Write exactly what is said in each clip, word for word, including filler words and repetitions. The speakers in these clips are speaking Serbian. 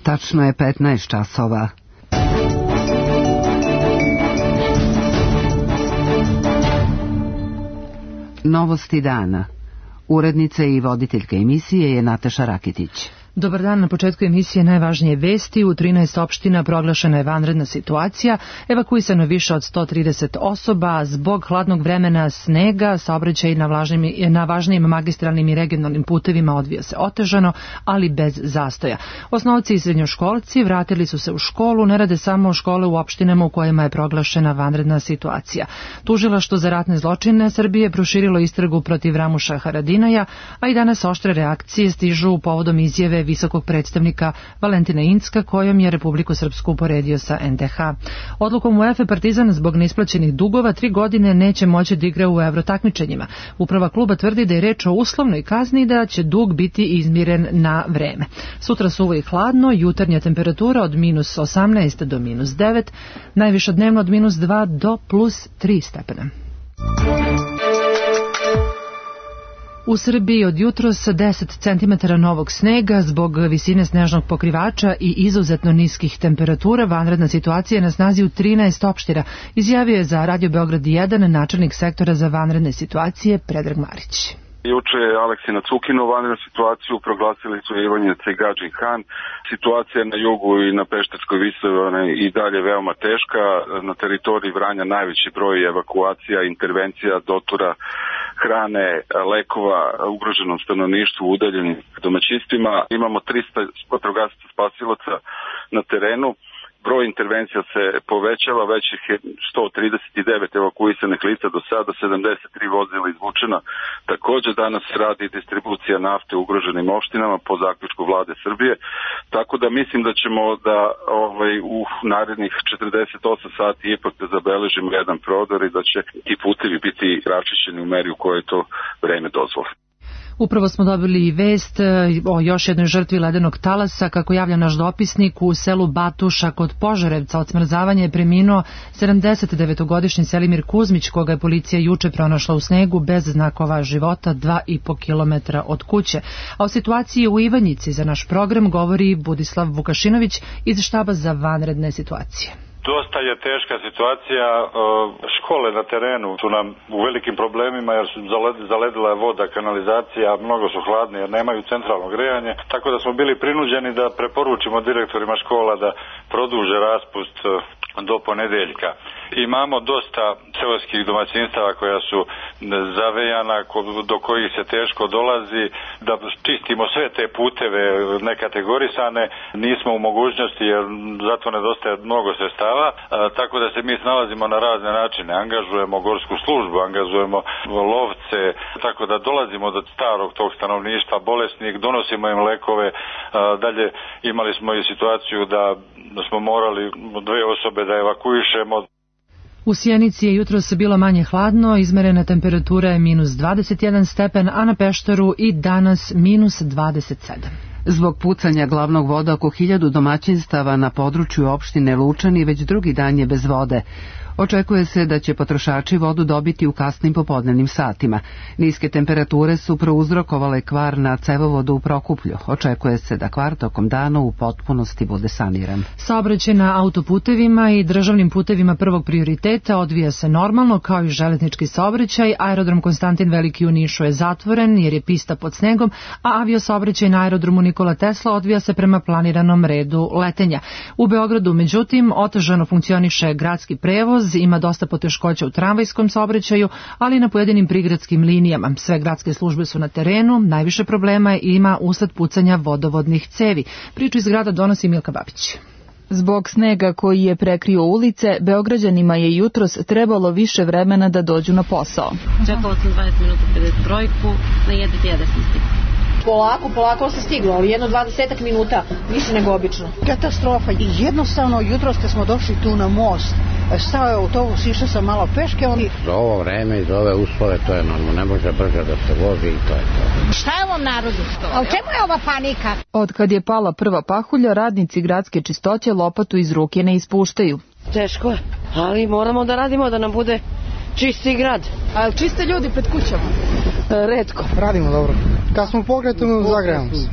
Tačno je petnaest časova. Novosti dana. Urednica i voditeljka emisije je Nataša Rakitić. Dobar dan, na početku emisije najvažnije vesti. U trinaest opština proglašena je vanredna situacija, evakuisano je više od sto trideset osoba, zbog hladnog vremena, snega, saobraćaj na, vlažnim, na važnijim magistralnim i regionalnim putevima odvija se otežano, ali bez zastoja. Osnovci i srednjoškolci vratili su se u školu, ne rade samo škole u opštinama u kojima je proglašena vanredna situacija. Tužilaštvo za ratne zločine Srbije proširilo istragu protiv Ramuša Haradinaja, a i danas oštre reakcije stižu povodom izjave visokog predstavnika Valentina Incka, kojom je Republiku Srpsku uporedio sa en de ha. Odlukom UEFA Partizan zbog neisplaćenih dugova tri godine neće moći da igra u evrotakmičenjima. Uprava kluba tvrdi da je reč o uslovnoj kazni i da će dug biti izmiren na vreme. Sutra suvo i hladno, jutarnja temperatura od minus osamnaest do minus devet, najviša dnevno od minus dva do plus tri stepena. U Srbiji od jutros deset centimetara novog snega zbog visine snežnog pokrivača i izuzetno niskih temperatura. Vanredna situacija je na snazi u trinaest opština, izjavio je za Radio Beograd jedan načelnik sektora za vanredne situacije Predrag Marić. Juče je Aleksina Cukino vanrednu situaciju proglasili su Ivanjica i Gadžin Han. Situacija na jugu i na Pešterskoj visoravni i dalje veoma teška. Na teritoriji Vranja najveći broj evakuacija, intervencija, dotura hrane, lekova ugroženom stanovništvu, udaljenim domaćinstvima. Imamo trista vatrogasaca spasilaca na terenu. Broj intervencija se povećava, već ih je sto trideset devet evakuisanih lica do sada, sedamdeset tri vozila izvučena. Također danas radi distribucija nafte u ugroženim opštinama po zaključku vlade Srbije, tako da mislim da ćemo da ovaj, u narednih četrdeset osam sati ipak da zabeležimo jedan prodor i da će ti putevi biti račišćeni u meri u kojoj to vreme dozvoli. Upravo smo dobili vest o još jednoj žrtvi ledenog talasa. Kako javlja naš dopisnik, u selu Batuša kod Požarevca od smrzavanja je preminuo sedamdesetdevetogodišnji Selimir Kuzmić, koga je policija juče pronašla u snegu bez znakova života dva i po kilometra od kuće. A o situaciji u Ivanjici za naš program govori Budislav Vukašinović iz štaba za vanredne situacije. Dosta je teška situacija, škole na terenu su nam u velikim problemima jer su zaledila je voda, kanalizacija, mnogo su hladne jer nemaju centralno grejanje, tako da smo bili prinuđeni da preporučimo direktorima škola da produže raspust do ponedeljka. Imamo dosta seoskih domaćinstava koja su zavejana, do kojih se teško dolazi, da čistimo sve te puteve nekategorisane, nismo u mogućnosti jer zato nedostaje mnogo sredstava, tako da se mi snalazimo na razne načine, angažujemo gorsku službu, angažujemo lovce, tako da dolazimo do starog tog stanovništva, bolesnih, donosimo im lekove, dalje imali smo i situaciju da smo morali dve osobe da evakuišemo. U Sjenici je jutros bilo manje hladno, izmerena temperatura je minus dvadeset jedan stepen, a na Pešteru i danas minus dvadeset sedam. Zbog pucanja glavnog voda oko hiljadu domaćinstava na području opštine Lučani već drugi dan je bez vode. Očekuje se da će potrošači vodu dobiti u kasnim popodnevnim satima. Niske temperature su prouzrokovale kvar na cevovodu u Prokuplju. Očekuje se da kvar tokom dana u potpunosti bude saniran. Saobraćaj na autoputevima i državnim putevima prvog prioriteta odvija se normalno, kao i železnički saobraćaj. Aerodrom Konstantin Veliki u Nišu je zatvoren jer je pista pod snegom, a aviosaobraćaj na aerodromu Nikola Tesla odvija se prema planiranom redu letenja. U Beogradu, međutim, otežano funkcioniše gradski prevoz, ima dosta poteškoća u tramvajskom saobraćaju, ali i na pojedinim prigradskim linijama. Sve gradske službe su na terenu, najviše problema ima usled pucanja vodovodnih cevi. Priču iz grada donosi Milka Babić. Zbog snega koji je prekrio ulice, Beograđanima je jutros trebalo više vremena da dođu na posao. Čekala sam dvadeset minuta pred trojku, na jedan jedan sam stigla. Polako, polako se stiglo, ali jedno dvadesetak minuta, više nego obično. Katastrofa. I jednostavno, jutros kad smo došli tu na most, stao je autobus, išao sam malo peške. On... Za ovo vreme i za ove uslove to je normalno, ne može brže da se vozi i to je to. Šta je ovom narodu? A u čemu je ova panika? Od kad je pala prva pahulja, radnici gradske čistoće lopatu iz ruke ne ispuštaju. Teško je, ali moramo da radimo da nam bude čisti grad. A čiste ljudi pred kućama? E, retko. Radimo dobro. Kad smo pokretamo, zagrejamo se.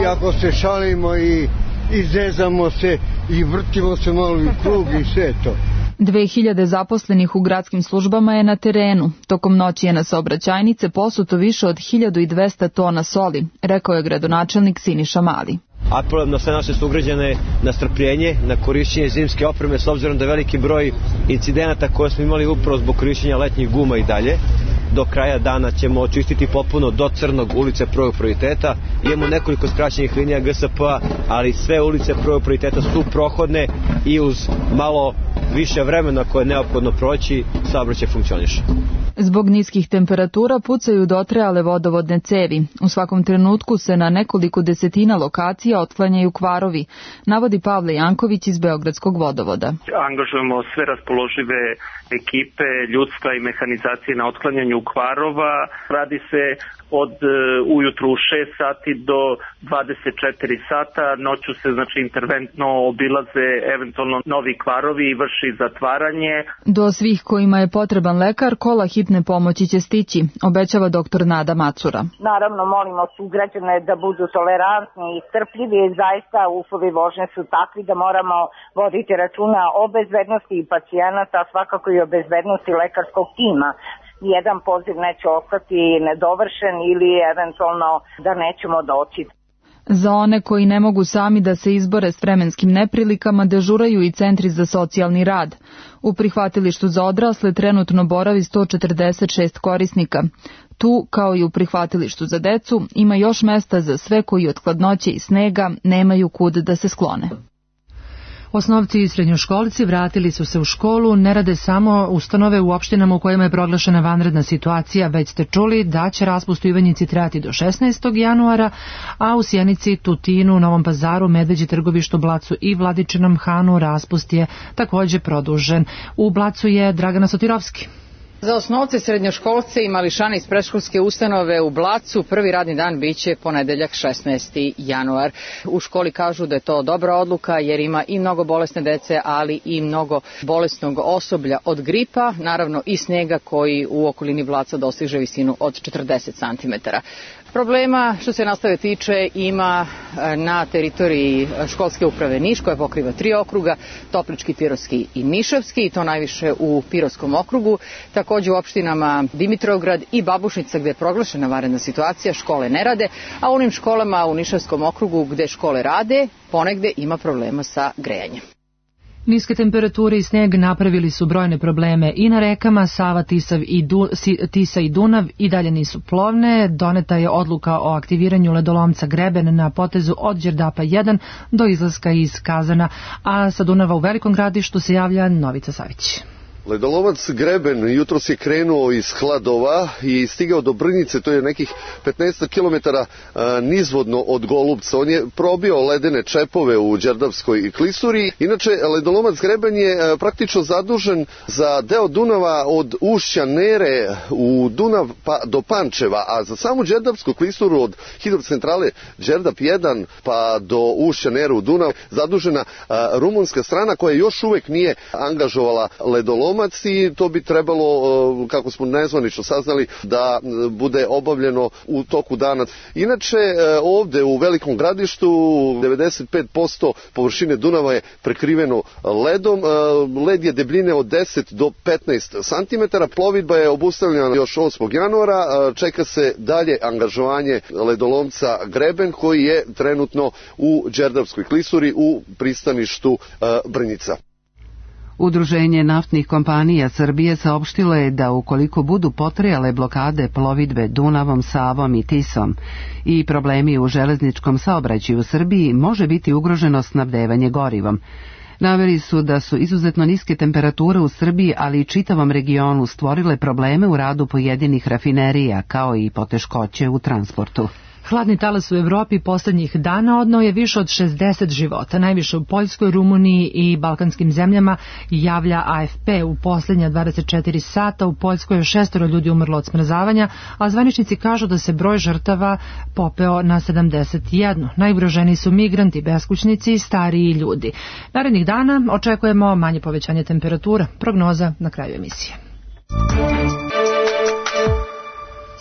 I ako se šalimo i izezamo se i vrtimo se malo i krug i sve to. dve hiljade zaposlenih u gradskim službama je na terenu. Tokom noći je na saobraćajnice posuto više od hiljadu dvesta tona soli, rekao je gradonačelnik Siniša Mali. Apelujem na sve naše sugrađane na strpljenje, na korišćenje zimske opreme, s obzirom da veliki broj incidenata koje smo imali upravo zbog korišćenja letnjih guma i dalje. Do kraja dana ćemo očistiti popuno do Crnog ulice prvog prioriteta. Imamo nekoliko skraćenih linija G S P-a, ali sve ulice prvog prioriteta su prohodne i uz malo više vremena koje je neophodno proći, saobraćaj funkcioniše. Zbog niskih temperatura pucaju dotrajale vodovodne cevi. U svakom trenutku se na nekoliko desetina lokacija otklanjaju kvarovi, navodi Pavle Janković iz Beogradskog vodovoda. Angažujemo sve raspoložive ekipe, ljudstva i mehanizacije na otklanjanju kvarova. Radi se od uh, ujutru u šest sati do dvadeset četiri sata. Noću se znači interventno obilaze eventualno novi kvarovi i vrši zatvaranje. Do svih kojima je potreban lekar, kola hitne pomoći će stići, obećava doktor Nada Macura. Naravno, molimo sugrađane da budu tolerantni i strpljivi, zaista uslovi vožnje su takvi da moramo voditi računa o bezbednosti i pacijenata, svakako i o bezbednosti lekarskog tima. Jedan poziv neće ostati nedovršen ili eventualno da nećemo doći. Za one koji ne mogu sami da se izbore s vremenskim neprilikama dežuraju i centri za socijalni rad. U prihvatilištu za odrasle trenutno boravi sto četrdeset šest korisnika. Tu, kao i u prihvatilištu za decu, ima još mesta za sve koji od hladnoće i snega nemaju kud da se sklone. Osnovci i srednjoškolci vratili su se u školu, ne rade samo ustanove u opštinama u kojima je proglašena vanredna situacija, već ste čuli da će raspust u Ivanjici trajati do šesnaestog januara, a u Sjenici, Tutinu, Novom Pazaru, Medveđi, Trgovištu, Blacu i Vladičinom Hanu raspust je također produžen. U Blacu je Dragana Sotirovski. Za osnovce, srednjoškolce i mališane iz predškolske ustanove u Blacu prvi radni dan biće ponedeljak šesnaesti januar. U školi kažu da je to dobra odluka jer ima i mnogo bolesne dece, ali i mnogo bolesnog osoblja od gripa, naravno i snega koji u okolini Blaca dostiže visinu od četrdeset centimetara. Problema što se nastave tiče ima na teritoriji školske uprave Niš koja pokriva tri okruga, Toplički, Pirotski i Nišavski, i to najviše u Pirotskom okrugu. Također u opštinama Dimitrovgrad i Babušnica gdje je proglašena vanredna situacija škole ne rade, a u onim školama u Nišavskom okrugu gdje škole rade ponegde ima problema sa grejanjem. Niske temperature i sneg napravili su brojne probleme i na rekama. Sava, Tisav i du, Tisa i Dunav i dalje nisu plovne. Doneta je odluka o aktiviranju ledolomca Greben na potezu od Đerdapa jedan do izlaska iz Kazana, a sa Dunava u Velikom Gradištu se javlja Novica Savić. Ledolomac Greben jutros je krenuo iz Hladova i stigao do Brnjice, to je nekih petnaest kilometara nizvodno od Golubca. On je probio ledene čepove u Đerdapskoj klisuri. Inače, ledolomac Greben je praktično zadužen za deo Dunava od ušća Nere u Dunav pa do Pančeva, a za samu Đerdapsku klisuru od hidrocentrale Đerdap jedan pa do ušća Nere u Dunav zadužena rumunska strana koja još uvek nije angažovala ledolomac, i to bi trebalo, kako smo nezvanično saznali, da bude obavljeno u toku dana. Inače, ovde u Velikom Gradištu devedeset pet posto površine Dunava je prekriveno ledom. Led je debljine od deset do petnaest centimetara. Plovidba je obustavljena još osmog januara. Čeka se dalje angažovanje ledolomca Greben koji je trenutno u Đerdapskoj klisuri u pristaništu Brnjica. Udruženje naftnih kompanija Srbije saopštilo je da ukoliko budu potrajale blokade plovidbe Dunavom, Savom i Tisom i problemi u železničkom saobraćaju u Srbiji, može biti ugroženo snabdevanje gorivom. Naveli su da su izuzetno niske temperature u Srbiji, ali i čitavom regionu stvorile probleme u radu pojedinih rafinerija, kao i poteškoće u transportu. Hladni talas u Evropi posljednjih dana odneo je više od šezdeset života, najviše u Poljskoj, Rumuniji i balkanskim zemljama, javlja A F P. U posljednja dvadeset četiri sata u Poljskoj je šestoro ljudi umrlo od smrzavanja, a zvaničnici kažu da se broj žrtava popeo na sedamdeset jedan. Najugroženiji su migranti, beskućnici i stariji ljudi. Narednih dana očekujemo manje povećanje temperatura. Prognoza na kraju emisije.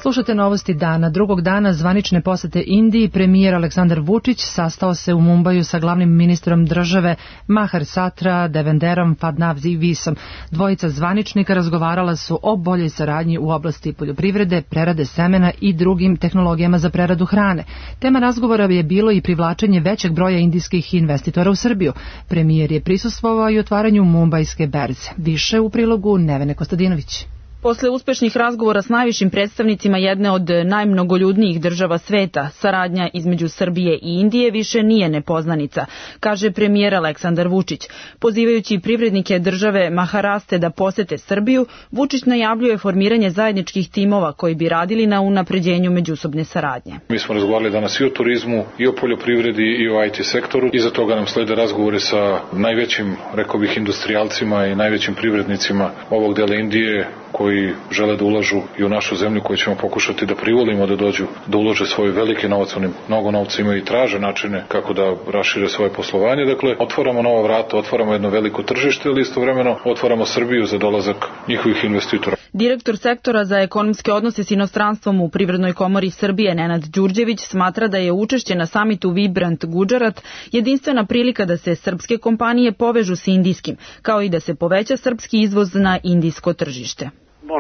Slušate novosti dana. Drugog dana zvanične posete Indiji premijer Aleksandar Vučić sastao se u Mumbaju sa glavnim ministrom države Mahar Satra Devenderom Fadnavisom. Dvojica zvaničnika razgovarala su o boljoj saradnji u oblasti poljoprivrede, prerade semena i drugim tehnologijama za preradu hrane. Tema razgovora je bilo i privlačenje većeg broja indijskih investitora u Srbiju. Premijer je prisustvovao i otvaranju Mumbajske berze. Više u prilogu Nevene Kostadinović. Posle uspešnih razgovora s najvišim predstavnicima jedne od najmnogoljudnijih država sveta, saradnja između Srbije i Indije više nije nepoznanica, kaže premijer Aleksandar Vučić. Pozivajući privrednike države Maharaste da posete Srbiju, Vučić najavljuje formiranje zajedničkih timova koji bi radili na unapređenju međusobne saradnje. Mi smo razgovarali danas i o turizmu, i o poljoprivredi, i o I T sektoru. Iza toga nam slede razgovore sa najvećim, rekao bih, industrijalcima i najvećim privrednicima ovog dela Indije, koji žele da ulažu i u našu zemlju, koju ćemo pokušati da privolimo da dođu, da ulože svoj veliki novac, oni mnogo novca imaju i traže načine kako da rašire svoje poslovanje. Dakle, otvaramo nova vrata, otvaramo jedno veliko tržište, ali istovremeno otvaramo Srbiju za dolazak njihovih investitora. Direktor sektora za ekonomske odnose s inostranstvom u Privrednoj komori Srbije Nenad Đurđević smatra da je učešće na samitu Vibrant Gujarat jedinstvena prilika da se srpske kompanije povežu s indijskim, kao i da se poveća srpski izvoz na indijsko tržište.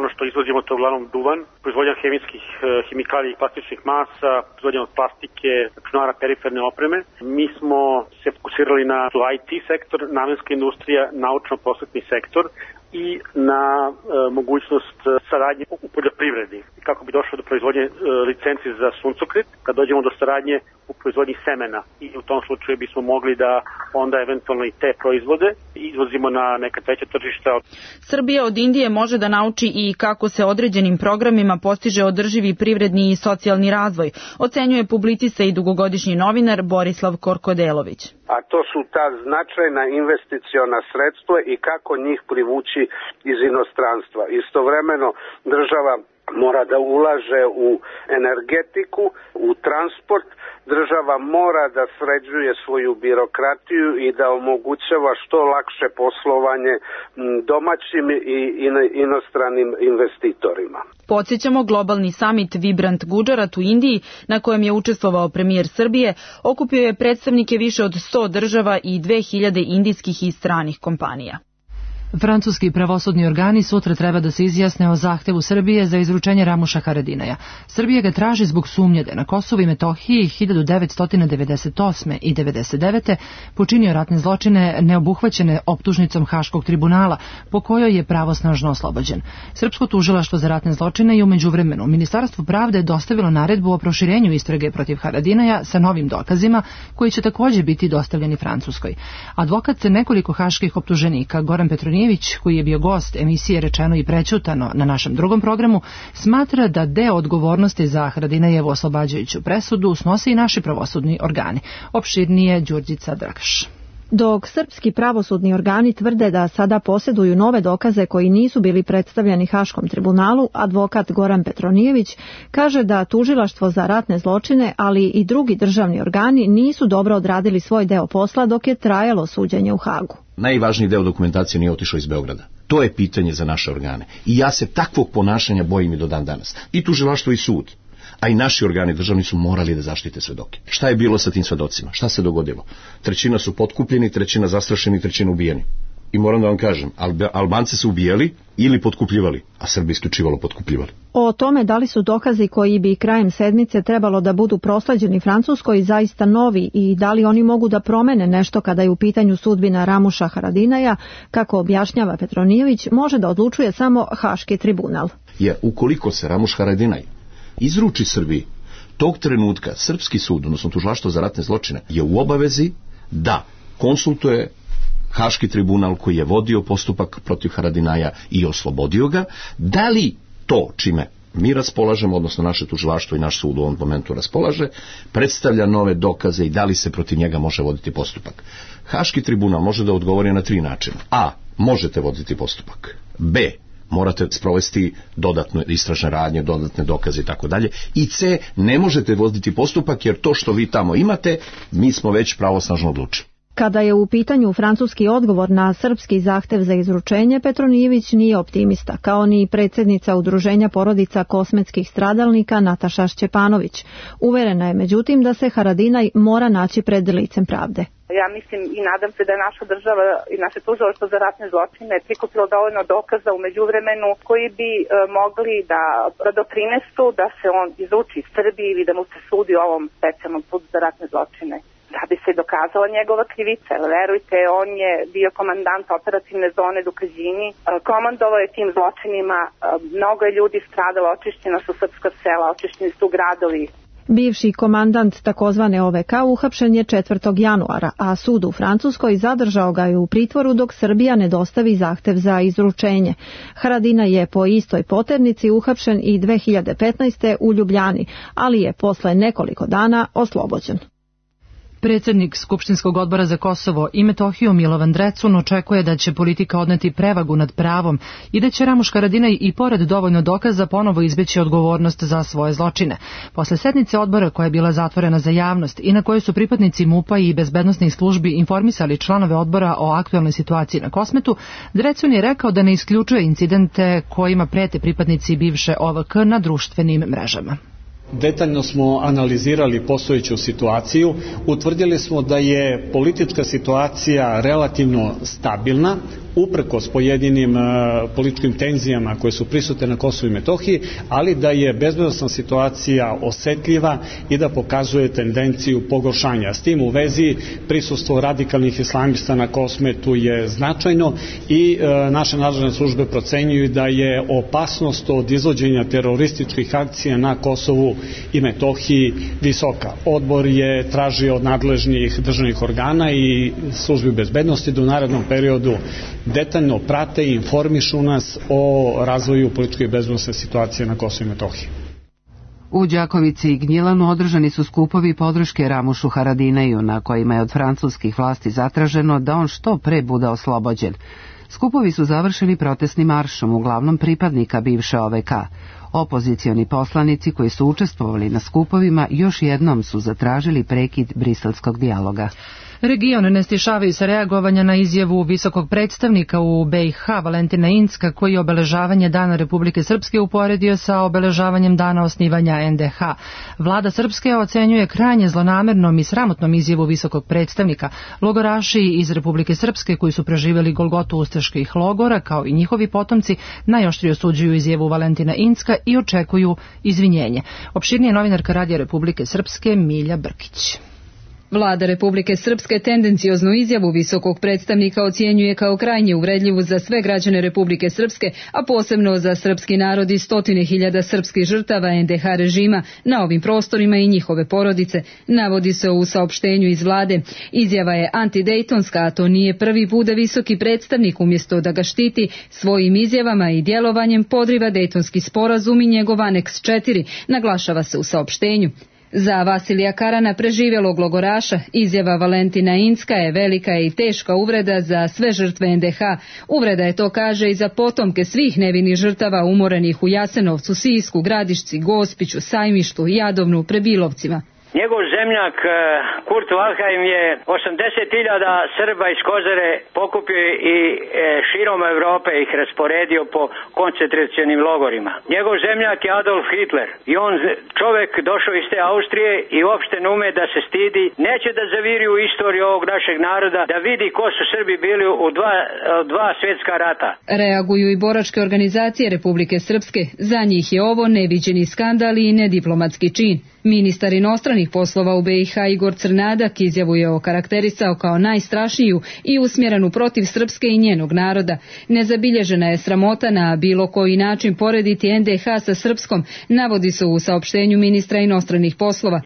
Ono što izvozimo to je uglavnom duvan, proizvodnja hemijskih hemikalija i plastičnih masa, proizvodnja od plastike, računara, periferne opreme. Mi smo se fokusirali na I T sektor, namenska industrija, naučno-prosvetni sektor i na e, mogućnost saradnje u poljoprivredi. Kako bi došlo do proizvodnje e, licenci za suncokret, kad dođemo do saradnje u proizvodnji semena i u tom slučaju bismo mogli da onda eventualno i te proizvode izvozimo na neka treća tržišta. Srbija od Indije može da nauči i kako se određenim programima postiže održivi privredni i socijalni razvoj, ocenjuje publicista i dugogodišnji novinar Borislav Korkodelović. A to su ta značajna investiciona sredstva i kako njih privući iz inostranstva. Istovremeno država mora da ulaže u energetiku, u transport, država mora da sređuje svoju birokratiju i da omogućava što lakše poslovanje domaćim i inostranim investitorima. Podsjećamo, globalni samit Vibrant Gujarat u Indiji, na kojem je učestvovao premijer Srbije, okupio je predstavnike više od sto država i dve hiljade indijskih i stranih kompanija. Francuski pravosudni organi sutra treba da se izjasne o zahtevu Srbije za izručenje Ramuša Haradinaja. Srbija ga traži zbog sumnje da na Kosovu i Metohiji hiljadu devetsto devedeset osme i devedeset devete počinio ratne zločine neobuhvaćene optužnicom Haškog tribunala, po kojoj je pravosnažno oslobođen. Srpsko tužilaštvo za ratne zločine je u međuvremenu Ministarstvu pravde dostavilo naredbu o proširenju istrage protiv Haradinaja sa novim dokazima, koji će također biti dostavljeni Francuskoj. Advokat se nekoliko haških optuženika, Goran Petronijević, koji je bio gost emisije Rečeno i prećutano na našem drugom programu, smatra da deo odgovornosti za Haradinajevu oslobađajuću presudu snose i naši pravosudni organi. Opširnije Đurđica Drakaš. Dok srpski pravosudni organi tvrde da sada posjeduju nove dokaze koji nisu bili predstavljeni Haškom tribunalu, advokat Goran Petronijević kaže da tužilaštvo za ratne zločine, ali i drugi državni organi nisu dobro odradili svoj deo posla dok je trajalo suđenje u Hagu. Najvažniji deo dokumentacije nije otišao iz Beograda. To je pitanje za naše organe. I ja se takvog ponašanja bojim i do dan danas. I tužilaštvo i sud. A i naši organi državni su morali da zaštite svedoke. Šta je bilo sa tim svedocima? Šta se dogodilo? Trećina su potkupljeni, trećina zastrašeni, trećina ubijeni. I moram da vam kažem, Albanci su ubijali ili potkupljivali, a Srbi isključivalo potkupljivali. O tome da li su dokazi koji bi krajem sedmice trebalo da budu prosleđeni Francuskoj zaista novi i da li oni mogu da promene nešto kada je u pitanju sudbina Ramuša Haradinaja, kako objašnjava Petronijević, može da odlučuje samo Haški tribunal. Jer ukoliko se Ramuš Haradinaj izruči Srbiji, tog trenutka srpski sud, odnosno tužilaštvo za ratne zločine, je u obavezi da konsultuje Haški tribunal koji je vodio postupak protiv Haradinaja i oslobodio ga, da li to čime mi raspolažemo, odnosno naše tužilaštvo i naš sud u ovom momentu raspolaže, predstavlja nove dokaze i da li se protiv njega može voditi postupak. Haški tribunal može da odgovori na tri načina. A. Možete voditi postupak. B. Morate sprovesti dodatne istražne radnje, dodatne dokaze i tako dalje. I C. Ne možete voditi postupak jer to što vi tamo imate, mi smo već pravosnažno odlučili. Kada je u pitanju francuski odgovor na srpski zahtev za izručenje, Petronijević nije optimista, kao ni predsjednica Udruženja porodica kosmetskih stradalnika Nataša Šćepanović. Uverena je međutim da se Haradinaj mora naći pred licem pravde. Ja mislim i nadam se da je naša država i naše tužilaštvo za ratne zločine prikupilo dovoljno dokaza u međuvremenu koji bi e, mogli da doprinesu da se on izuči Srbiji ili da mu se sudi u ovom specijalnom sudu za ratne zločine. Da bi se dokazala njegova krivica. Verujte, on je bio komandant operativne zone Dukađini, komandovao je tim zločinima, mnogo je ljudi stradalo, očišćena su srpska sela, očišćeni su gradovi. Bivši komandant takozvane O V K uhapšen je četvrtog januara, a sud u Francuskoj zadržao ga je u pritvoru dok Srbija ne dostavi zahtev za izručenje. Haradinaj je po istoj poternici uhapšen i dve hiljade petnaeste. u Ljubljani, ali je posle nekoliko dana oslobođen. Predsjednik Skupštinskog odbora za Kosovo i Metohiju Milovan Drecun očekuje da će politika odneti prevagu nad pravom i da će Ramuš Haradinaj i pored dovoljno dokaza ponovo izbjeći odgovornost za svoje zločine. Posle sednice odbora koja je bila zatvorena za javnost i na kojoj su pripadnici MUP-a i bezbednosnih službi informisali članove odbora o aktualnoj situaciji na Kosmetu, Drecun je rekao da ne isključuje incidente kojima prete pripadnici bivše O V K na društvenim mrežama. Detaljno smo analizirali postojeću situaciju, utvrdili smo da je politička situacija relativno stabilna, uprkos pojedinim uh, političkim tenzijama koje su prisutne na Kosovu i Metohiji, ali da je bezbednosna situacija osetljiva i da pokazuje tendenciju pogoršanja. S tim u vezi prisustvo radikalnih islamista na Kosmetu je značajno i uh, naše nadležne službe procenjuju da je opasnost od izvođenja terorističkih akcija na Kosovu i Metohiji visoka. Odbor je tražio od nadležnih državnih organa i službi bezbednosti da u narednom periodu detaljno prate i informišu nas o razvoju političke i bezbednosne situacije na Kosovu i Metohiji. U Đakovici i Gnjilanu održani su skupovi podrške Ramušu Haradinaju, na kojima je od francuskih vlasti zatraženo da on što pre bude oslobođen. Skupovi su završeni protestnim maršom, uglavnom pripadnika bivše O V K. Opozicioni poslanici koji su učestvovali na skupovima još jednom su zatražili prekid briselskog dijaloga. Region ne stišavaju se reagovanja na izjavu visokog predstavnika u B i H Valentina Incka, koji je obeležavanje Dana Republike Srpske uporedio sa obeležavanjem dana osnivanja N D H. Vlada Srpske ocenjuje krajnje zlonamernom i sramotnom izjavu visokog predstavnika. Logoraši iz Republike Srpske koji su preživjeli golgotu ustaških logora, kao i njihovi potomci, najoštrije osuđuju izjavu Valentina Incka i očekuju izvinjenje. Opširnije novinarka Radija Republike Srpske Milja Brkić. Vlada Republike Srpske tendencioznu izjavu visokog predstavnika ocjenjuje kao krajnje uvredljivu za sve građane Republike Srpske, a posebno za srpski narod i stotine hiljada srpskih žrtava N D H režima na ovim prostorima i njihove porodice, navodi se u saopštenju iz vlade. Izjava je antidejtonska, a to nije prvi put da visoki predstavnik umjesto da ga štiti svojim izjavama i djelovanjem podriva Dejtonski sporazum i njegov aneks četiri, naglašava se u saopštenju. Za Vasilija Karana, preživjelog logoraša, izjava Valentina Incka je velika i teška uvreda za sve žrtve N D H. Uvreda je, to kaže, i za potomke svih nevinih žrtava umorenih u Jasenovcu, Sisku, Gradišci, Gospiću, Sajmištu, Jadovnu, Prebilovcima. Njegov zemljak Kurt Waldheim je osamdeset hiljada Srba iz Kozare pokupio i širom Europe ih rasporedio po koncentracionim logorima. Njegov zemljak je Adolf Hitler i on čovjek došao iz te Austrije i uopšte ne ume da se stidi, neće da zaviri u istoriju ovog našeg naroda, da vidi ko su Srbi bili u dva, dva svjetska rata. Reaguju i boračke organizacije Republike Srpske. Za njih je ovo neviđeni skandal i nediplomatski čin. Ministar inostranih poslova u B i H Igor Crnadak izjavu je okarakterisao kao najstrašniju i usmjerenu protiv Srpske i njenog naroda. Nezabilježena je sramota na bilo koji način porediti N D H sa Srpskom, navodi se u saopštenju ministra inostranih poslova.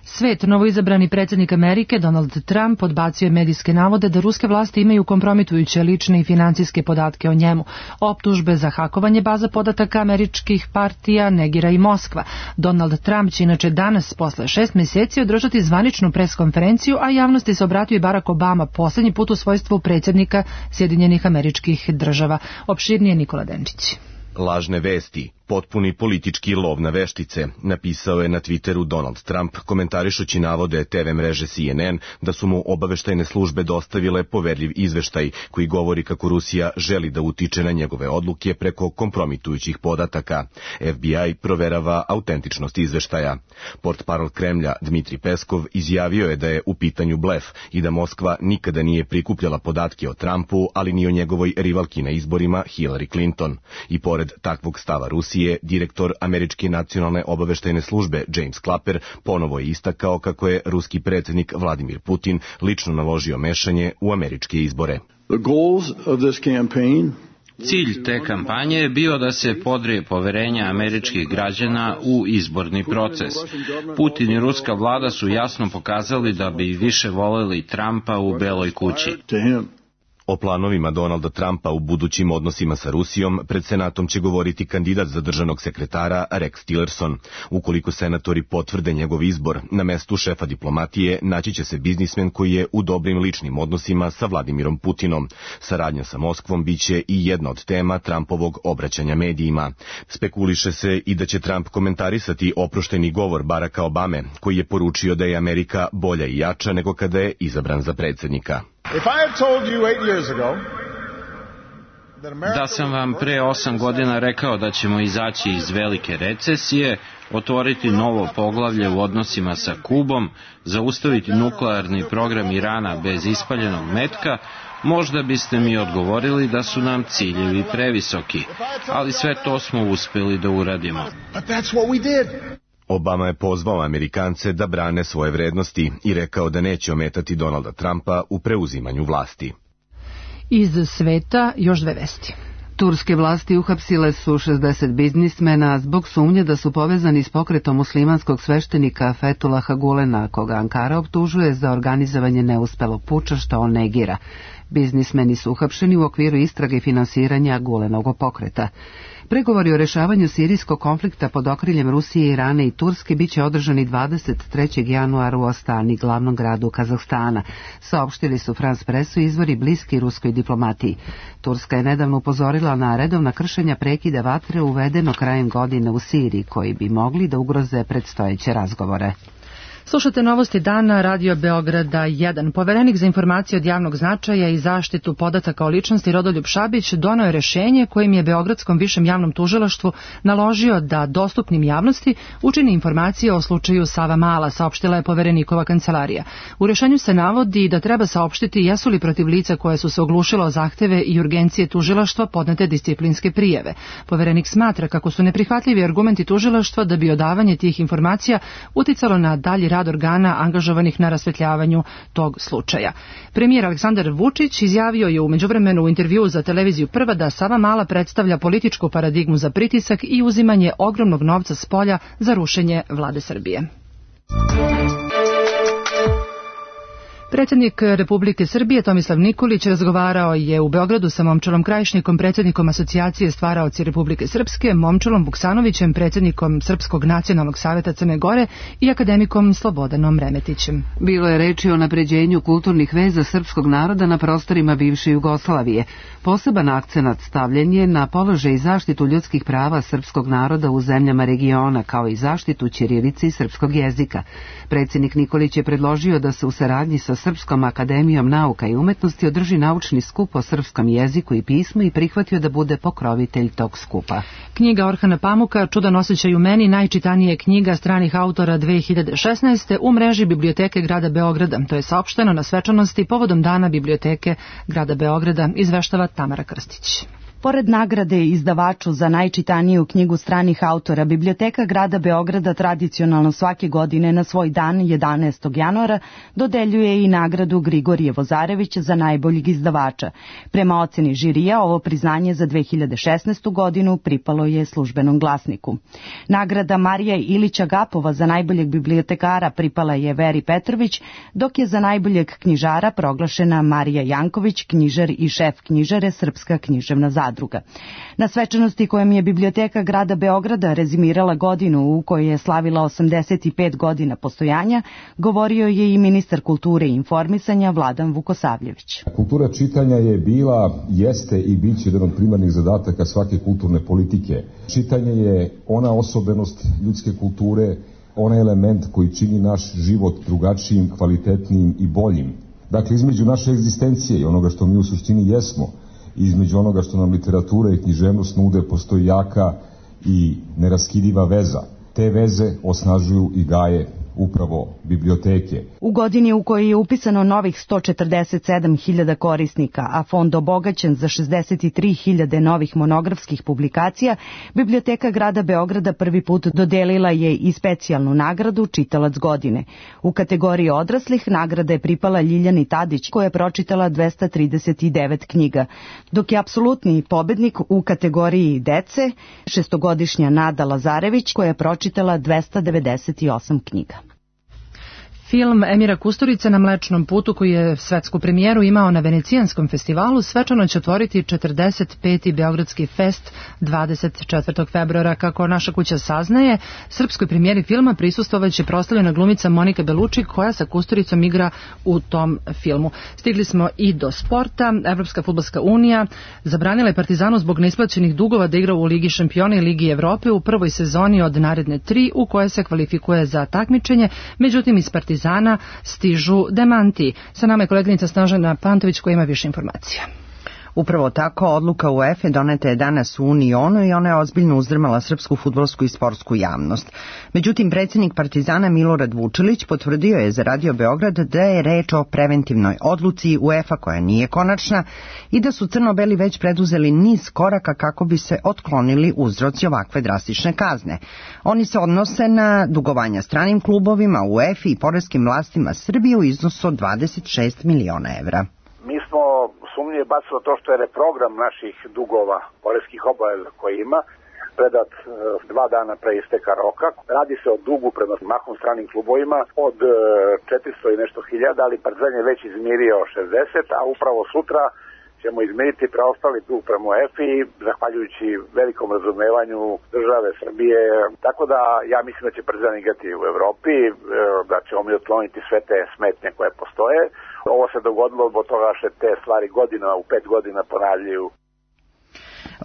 Svet, novoizabrani predsjednik Amerike Donald Trump odbacio je medijske navode da ruske vlasti imaju kompromitujuće lične i financijske podatke o njemu. Optužbe za hakovanje baza podataka američkih partija negira i Moskva. Donald Trump će inače danas posle šest mjeseci održati zvaničnu preskonferenciju, a javnosti se obratio i Barack Obama posljednji put u svojstvu predsjednika Sjedinjenih Američkih Država. Opširnije Nikola Denčić. Lažne vesti, Potpuni politički lov na veštice, napisao je na Twitteru Donald Trump, komentarišući navode te ve mreže C N N da su mu obaveštajne službe dostavile poverljiv izveštaj koji govori kako Rusija želi da utiče na njegove odluke preko kompromitujućih podataka. F B I proverava autentičnost izveštaja. Portparol Kremlja Dmitri Peskov izjavio je da je u pitanju blef i da Moskva nikada nije prikupljala podatke o Trumpu, ali ni o njegovoj rivalki na izborima Hillary Clinton. I pored takvog stava Rusije, direktor Američke nacionalne obaveštajne službe James Clapper ponovo je istakao kako je ruski predsjednik Vladimir Putin lično naložio mešanje u američke izbore. The goals of this campaign Cilj te kampanje je bio da se podrije poverenje američkih građana u izborni proces. Putin i ruska vlada su jasno pokazali da bi više voljeli Trumpa u Beloj kući. O planovima Donalda Trumpa u budućim odnosima sa Rusijom pred Senatom će govoriti kandidat za državnog sekretara Rex Tillerson. Ukoliko senatori potvrde njegov izbor, na mestu šefa diplomatije naći će se biznismen koji je u dobrim ličnim odnosima sa Vladimirom Putinom. Saradnja sa Moskvom biće i jedna od tema Trumpovog obraćanja medijima. Spekuliše se i da će Trump komentarisati oprošteni govor Baracka Obame, koji je poručio da je Amerika bolja i jača nego kada je izabran za predsjednika. Da sam vam pre osam godina rekao da ćemo izaći iz velike recesije, otvoriti novo poglavlje u odnosima sa Kubom, zaustaviti nuklearni program Irana bez ispaljenog metka, možda biste mi odgovorili da su nam ciljevi previsoki, ali sve to smo uspjeli da uradimo. Obama je pozvao Amerikance da brane svoje vrednosti i rekao da neće ometati Donalda Trumpa u preuzimanju vlasti. Iz sveta još dve vesti. Turske vlasti uhapsile su šezdeset biznismena zbog sumnje da su povezani s pokretom muslimanskog sveštenika Fethullaha Gulena, koga Ankara optužuje za organizovanje neuspelog puča što on negira. Biznismeni su uhapšeni u okviru istrage finansiranja Gulenovog pokreta. Pregovori o rešavanju sirijskog konflikta pod okriljem Rusije, Irana i Turske biće održani dvadeset trećeg januara u Astani, glavnom gradu Kazahstana, saopštili su France Pressu izvori bliski ruskoj diplomatiji. Turska je nedavno upozorila na redovna kršenja prekida vatre uvedeno krajem godine u Siriji, koji bi mogli da ugroze predstojeće razgovore. Slušate novosti dana Radio Beograda jedan. Poverenik za informacije od javnog značaja i zaštitu podataka o ličnosti Rodoljub Šabić doneo je rešenje kojim je Beogradskom višem javnom tužilaštvu naložio da dostupnim javnosti učini informacije o slučaju Savamala, saopštila je poverenikova kancelarija. U rešenju se navodi da treba saopštiti jesu li protiv lica koje su se oglušila o zahteve i urgencije tužilaštva podnete disciplinske prijave. Poverenik smatra kako su neprihvatljivi argumenti tužilaštva da bi odavanje tih informacija uticalo na dalji rad organa angažovanih na rasvetljavanju tog slučaja. Premijer Aleksandar Vučić izjavio je u međuvremenu u intervjuu za televiziju Prva da Savamala predstavlja političku paradigmu za pritisak i uzimanje ogromnog novca s polja za rušenje vlade Srbije. Predsjednik Republike Srbije Tomislav Nikolić razgovarao je u Beogradu sa Momčilom Krajišnikom, predsjednikom Asocijacije stvaraoci Republike Srpske, Momčilom Vuksanovićem, predsjednikom Srpskog nacionalnog saveta Crne Gore i akademikom Slobodanom Remetićem. Bilo je reči o napređenju kulturnih veza srpskog naroda na prostorima bivše Jugoslavije. Poseban akcenat stavljen je na položaj i zaštitu ljudskih prava srpskog naroda u zemljama regiona, kao i zaštitu ćirilice i srpskog jezika. Predsjednik Nikolić je predložio da se u saradnji sa Srpskom akademijom nauka i umetnosti održi naučni skup o srpskom jeziku i pismu i prihvatio da bude pokrovitelj tog skupa. Knjiga Orhana Pamuka Čudan osjećaj u meni najčitanija je knjiga stranih autora dve hiljade šesnaeste. u mreži Biblioteke grada Beograda. To je saopšteno na svečanosti povodom Dana Biblioteke grada Beograda, izveštava Tamara Krstić. Pored nagrade izdavaču za najčitaniju knjigu stranih autora, Biblioteka grada Beograda tradicionalno svake godine na svoj dan, jedanaestog januara, dodeljuje i nagradu Grigorije Vozarević za najboljeg izdavača. Prema oceni žirija, ovo priznanje za dve hiljade šesnaestu. godinu pripalo je Službenom glasniku. Nagrada Marija Ilića Gapova za najboljeg bibliotekara pripala je Veri Petrović, dok je za najboljeg knjižara proglašena Marija Janković, knjižar i šef knjižare Srpska književna zadruga. zadruga. Na svečanosti kojom je Biblioteka grada Beograda rezimirala godinu u kojoj je slavila osamdeset pet godina postojanja, govorio je i ministar kulture i informisanja Vladan Vukosavljević. Kultura čitanja je bila, jeste i bit će jedan od primarnih zadataka svake kulturne politike. Čitanje je ona osobenost ljudske kulture, onaj element koji čini naš život drugačijim, kvalitetnijim i boljim. Dakle, između naše egzistencije i onoga što mi u suštini jesmo, između onoga što nam literatura i književnost nude, postoji jaka i neraskidiva veza. Te veze osnažuju i gaje upravo biblioteke. U godini u kojoj je upisano novih sto četrdeset sedam hiljada korisnika, a fond obogaćen za šezdeset tri hiljade novih monografskih publikacija, Biblioteka grada Beograda prvi put dodelila je i specijalnu nagradu Čitalac godine. U kategoriji odraslih nagrada je pripala Ljiljani Tadić, koja je pročitala dvesta trideset devet knjiga, dok je apsolutni pobednik u kategoriji dece šestogodišnja Nada Lazarević, koja je pročitala dvesta devedeset osam knjiga. Film Emira Kusturice Na Mlečnom putu, koji je svetsku premijeru imao na Venecijanskom festivalu, svečano će otvoriti četrdeset peti Beogradski fest dvadeset četvrtog februara. Kako naša kuća saznaje, srpskoj premijeri filma prisustvovaće proslavljena glumica Monika Beluči, koja sa Kusturicom igra u tom filmu. Stigli smo i do sporta. Evropska fudbalska unija zabranila je Partizanu zbog neisplaćenih dugova da igra u Ligi šampiona i Ligi Evrope u prvoj sezoni od naredne tri, u koje se kvalifikuje za takmičenje. Međutim, iz Partizana Partizana stižu demanti. Sa nama je koleginica Snežana Pantović koja ima više informacija. Upravo tako, odluka UEFA doneta je danas u Unionu i ona je ozbiljno uzdrmala srpsku fudbalsku i sportsku javnost. Međutim, predsjednik Partizana Milorad Vučilić potvrdio je za Radio Beograd da je reč o preventivnoj odluci UEFA koja nije konačna i da su crno-beli već preduzeli niz koraka kako bi se otklonili uzroci ovakve drastične kazne. Oni se odnose na dugovanja stranim klubovima, UEFA i poreskim vlastima Srbije u iznosu od dvadeset šest miliona evra. Mi smo sumnje bacilo to što je reprogram naših dugova, poreskih obaveza koji ima, predat e, dva dana pre isteka roka. Radi se o dugu prema mahom stranim klubovima od e, četiristo i nešto hiljada, ali Partizan je već izmirio šezdeset, a upravo sutra ćemo izmiriti preostali dug prema UEFA i zahvaljujući velikom razumevanju države Srbije. Tako da ja mislim da će Partizan igrati u Evropi, e, da ćemo mi otkloniti sve te smetnje koje postoje. Ovo se dogodilo zbog toga što te stvari godina, u pet godina ponavljaju.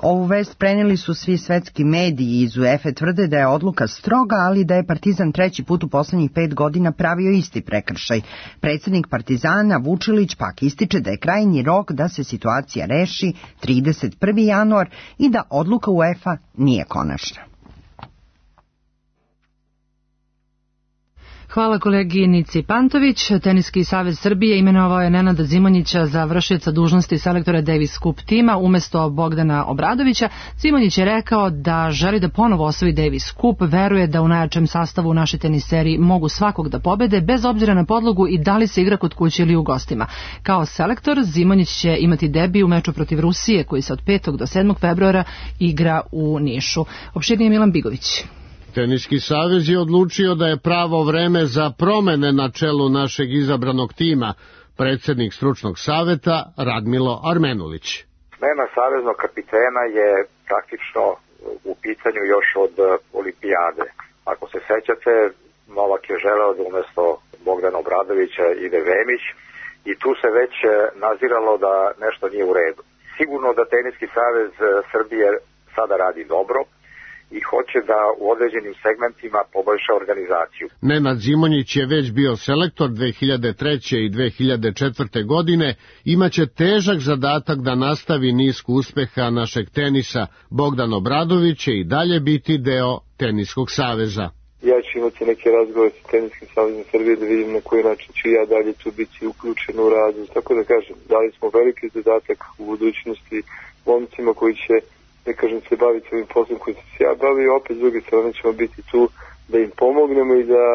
Ovu vest prenijeli su svi svetski mediji iz UEFA, tvrde da je odluka stroga, ali da je Partizan treći put u poslednjih pet godina pravio isti prekršaj. Predsjednik Partizana Vučilić pak ističe da je krajnji rok da se situacija reši trideset prvi januar i da odluka UEFA nije konačna. Hvala koleginici Pantović. Teniski savez Srbije imenovao je Nenada Zimonjića za vršioca dužnosti selektora Davis Cup tima umesto Bogdana Obradovića. Zimonjić je rekao da želi da ponovo osvoji Davis Cup, veruje da u najjačem sastavu u našoj teniseri mogu svakog da pobede, bez obzira na podlogu i da li se igra kod kuće ili u gostima. Kao selektor, Zimonjić će imati debi u meču protiv Rusije, koji se od petog do sedmog februara igra u Nišu. Opširnije Milan Bigović. Teniski savez je odlučio da je pravo vreme za promene na čelu našeg izabranog tima, predsjednik stručnog saveta Radmilo Armenulić. Smena saveznog kapitena je praktično u pitanju još od olimpijade. Ako se sećate, Novak je želeo da umjesto Bogdana Obradovića ide Vemić i tu se već naziralo da nešto nije u redu. Sigurno da Teniski savez Srbije sada radi dobro i hoće da u određenim segmentima poboljša organizaciju. Nenad Zimonjić je već bio selektor dve hiljade treće. i dve hiljade četvrte. godine, imaće težak zadatak da nastavi nisku uspeha našeg tenisa. Bogdan Obradović će i dalje biti deo Teniskog saveza. Ja ću imati neke razgovore sa Teniskim savezom Srbije da vidim na koji način ću ja dalje tu biti uključen u radu. Tako da kažem, dali smo veliki zadatak u budućnosti momcima koji će, ne kažem, se baviti ovim poslom koji se ja bavio, opet s druge strane ćemo biti tu da im pomognemo i da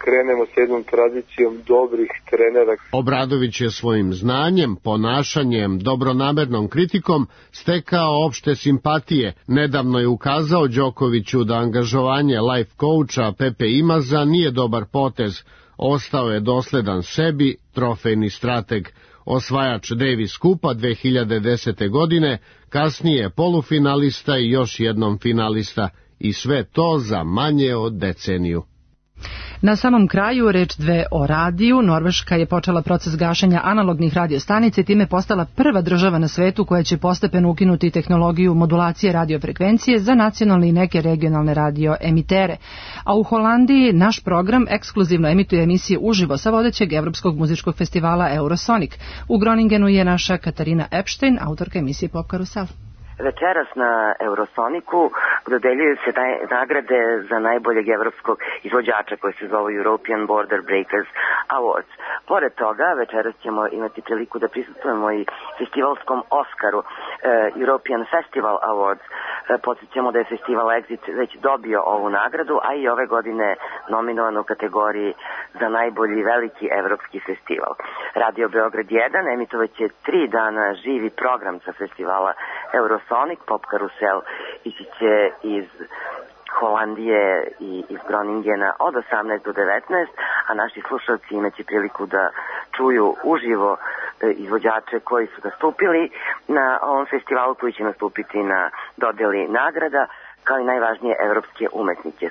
krenemo s jednom tradicijom dobrih trenera. Obradović je svojim znanjem, ponašanjem, dobronamernom kritikom stekao opšte simpatije. Nedavno je ukazao Đokoviću da angažovanje life coacha Pepe Imaza nije dobar potez. Ostao je dosledan sebi, trofejni strateg. osvajač Davis Kupa dve hiljade desete. godine, kasnije polufinalista i još jednom finalista. I sve to za manje od deceniju. Na samom kraju reč dve o radiju. Norveška je počela proces gašenja analognih radiostanica i time postala prva država na svetu koja će postepeno ukinuti tehnologiju modulacije radiofrekvencije za nacionalne i neke regionalne radioemitere. A u Holandiji naš program ekskluzivno emituje emisije uživo sa vodećeg evropskog muzičkog festivala Eurosonic. U Groningenu je naša Katarina Epstein, autorka emisije Pop Karusel. Večeras na Eurosoniku dodeljuju se nagrade za najboljeg evropskog izvođača koji se zove European Border Breakers Awards. Pored toga, večeras ćemo imati priliku da prisustujemo i festivalskom Oskaru, European Festival Awards. Podsjećamo da je festival Exit već dobio ovu nagradu, a i ove godine nominovan u kategoriji za najbolji veliki evropski festival. Radio Beograd jedan emitovat će tri dana živi program sa festivala Eurosonic. Pop Karusel ići će iz Holandije i iz Groningena od osamnaest do devetnaest, a naši slušalci imaće priliku da čuju uživo izvođače koji su nastupili na ovom festivalu, koji će nastupiti na dodeli nagrada, kao i najvažnije evropske umetnike.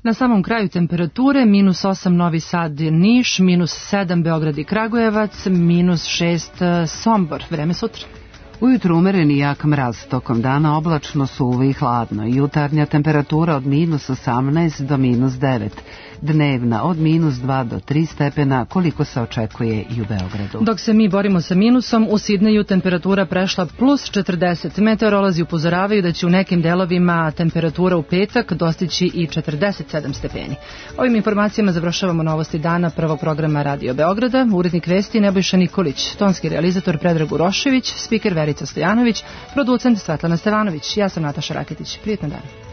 Na samom kraju temperature minus osam Novi Sad Niš, minus sedam Beograd i Kragujevac, minus šest Sombor. Vreme sutra. Ujutru umereni jak mraz, tokom dana oblačno, suvo i hladno. Jutarnja temperatura od minus osamnaest do minus devet. Dnevna od minus dva do tri stepena, koliko se očekuje i u Beogradu. Dok se mi borimo sa minusom, u Sidneju temperatura prešla plus četrdeset. Meteorolozi upozoravaju da će u nekim delovima temperatura u petak dostići i četrdeset sedam stepeni. Ovim informacijama završavamo novosti dana prvog programa Radio Beograda. Urednik vesti Nebojša Nikolić, tonski realizator Predrag Urošević, spiker Verica Stojanović, producent Svetlana Stevanović. Ja sam Nataša Raketić. Prijetno dan.